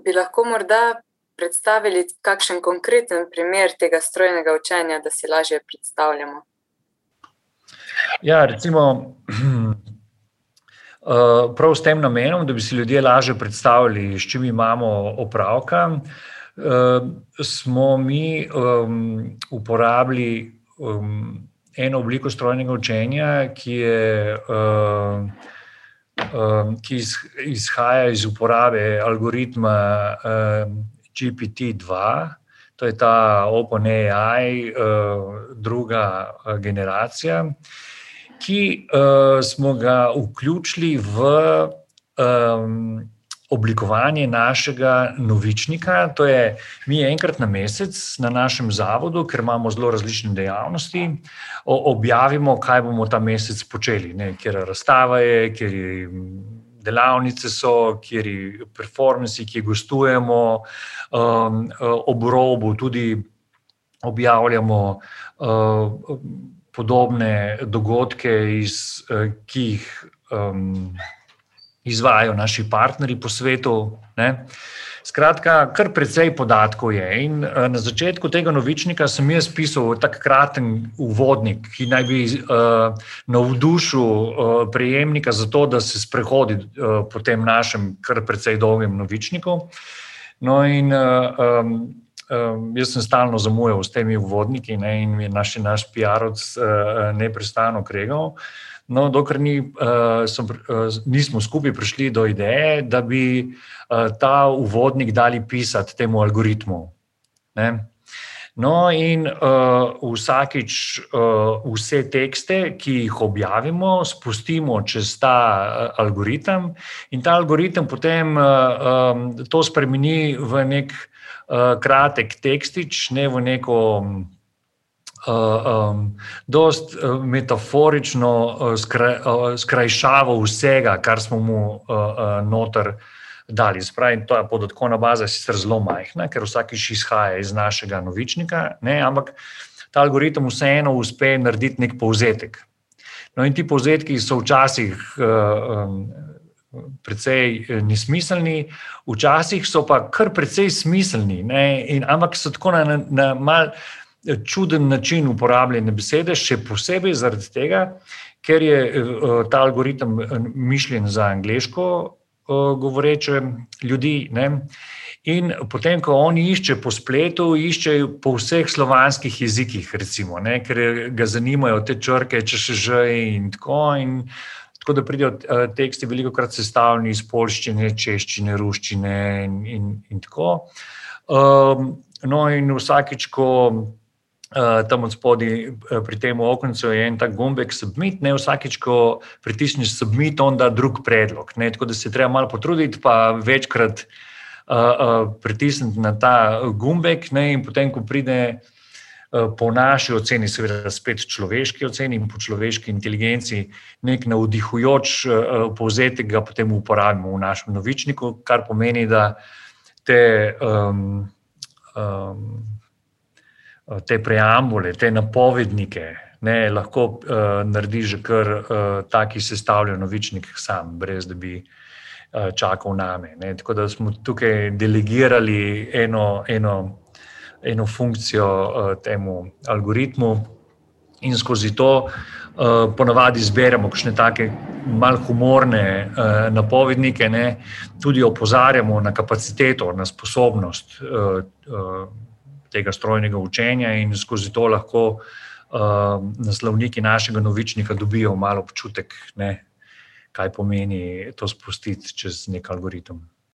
Bi lahko morda predstavili kakšen konkreten primer tega strojnega učenja, da si lažje predstavljamo? Ja, recimo, prav s tem namenom, da bi si ljudje lažje predstavljali, s čim imamo opravka, smo mi uporabili eno obliko strojnega učenja, ki izhaja iz uporabe algoritma GPT-2, to je ta OpenAI druga generacija, ki smo ga vključili v oblikovanje našega novičnika. To je, mi enkrat na mesec na našem zavodu, ker imamo zelo različne dejavnosti, objavimo, kaj bomo ta mesec počeli, kjer razstava je, kjer delavnice so, kjer performansi, ki gostujemo, ob robu tudi objavljamo podobne dogodke, ki jih izvajajo naši partnerji po svetu, ne. Skratka, kar precej podatkov je in na začetku tega novičnika sem jaz pisal tak kraten uvodnik, ki naj bi navdušil prejemnika za to, da se sprehodi po tem našem kar precej dolgem novičniku. No in jaz sem stalno zamujal s temi uvodniki, ne, in mi je naš PR-ovec neprestano kregal. No, dokler nismo skupaj prišli do ideje, da bi ta uvodnik dali pisati temu algoritmu, ne. No, in vsakič vse tekste, ki jih objavimo, spustimo čez ta algoritem in ta algoritem potem to spremeni v nek kratek tekstič, ne v neko dosti metaforično skrajšavo vsega, kar smo mu noter dali. Se pravi, ta podatkovna baza je sicer zelo majhna, ker vsakič izhaja iz našega novičnika, ne, ampak ta algoritem vseeno uspe narediti nek povzetek. No, in ti povzetki so včasih precej nesmiselni, včasih so pa kar precej smiselni, ne, ampak so tako na mal čuden način uporabljene besede, še posebej zaradi tega, ker je ta algoritem mišljen za angleško govoreče ljudi, ne. In potem, ko oni išče po spletu, iščejo po vseh slovanskih jezikih, recimo, ne, ker ga zanimajo te črke, č, in tako da pridejo teksti velikokrat sestavljeni iz poljščine, češčine, ruščine in tako. No, in vsakič, ko tam od spodaj pri tem okencu je en tak gumbek submit, ne, vsakič, ko pritisneš submit, on da drug predlog, ne, tako da se treba malo potruditi, pa večkrat pritisniti na ta gumbek, ne, in potem, ko pride po naši oceni, seveda spet človeški oceni in po človeški inteligenci, nek navdihujoč povzetek ga potem uporabimo v našem novičniku, kar pomeni, da te preambule, te napovednike, ne, lahko naredi že kar taki sestavljen novičnik sam, brez da bi čakal name, ne. Tako da smo tukaj delegirali eno funkcijo temu algoritmu in skozi to ponavadi zberemo kakšne take malo humorne napovednike, ne, tudi opozarjamo na kapaciteto, na sposobnost tega strojnega učenja in skozi to lahko naslovniki našega novičnika dobijo malo občutek, ne, kaj pomeni to spustiti čez nek algoritem.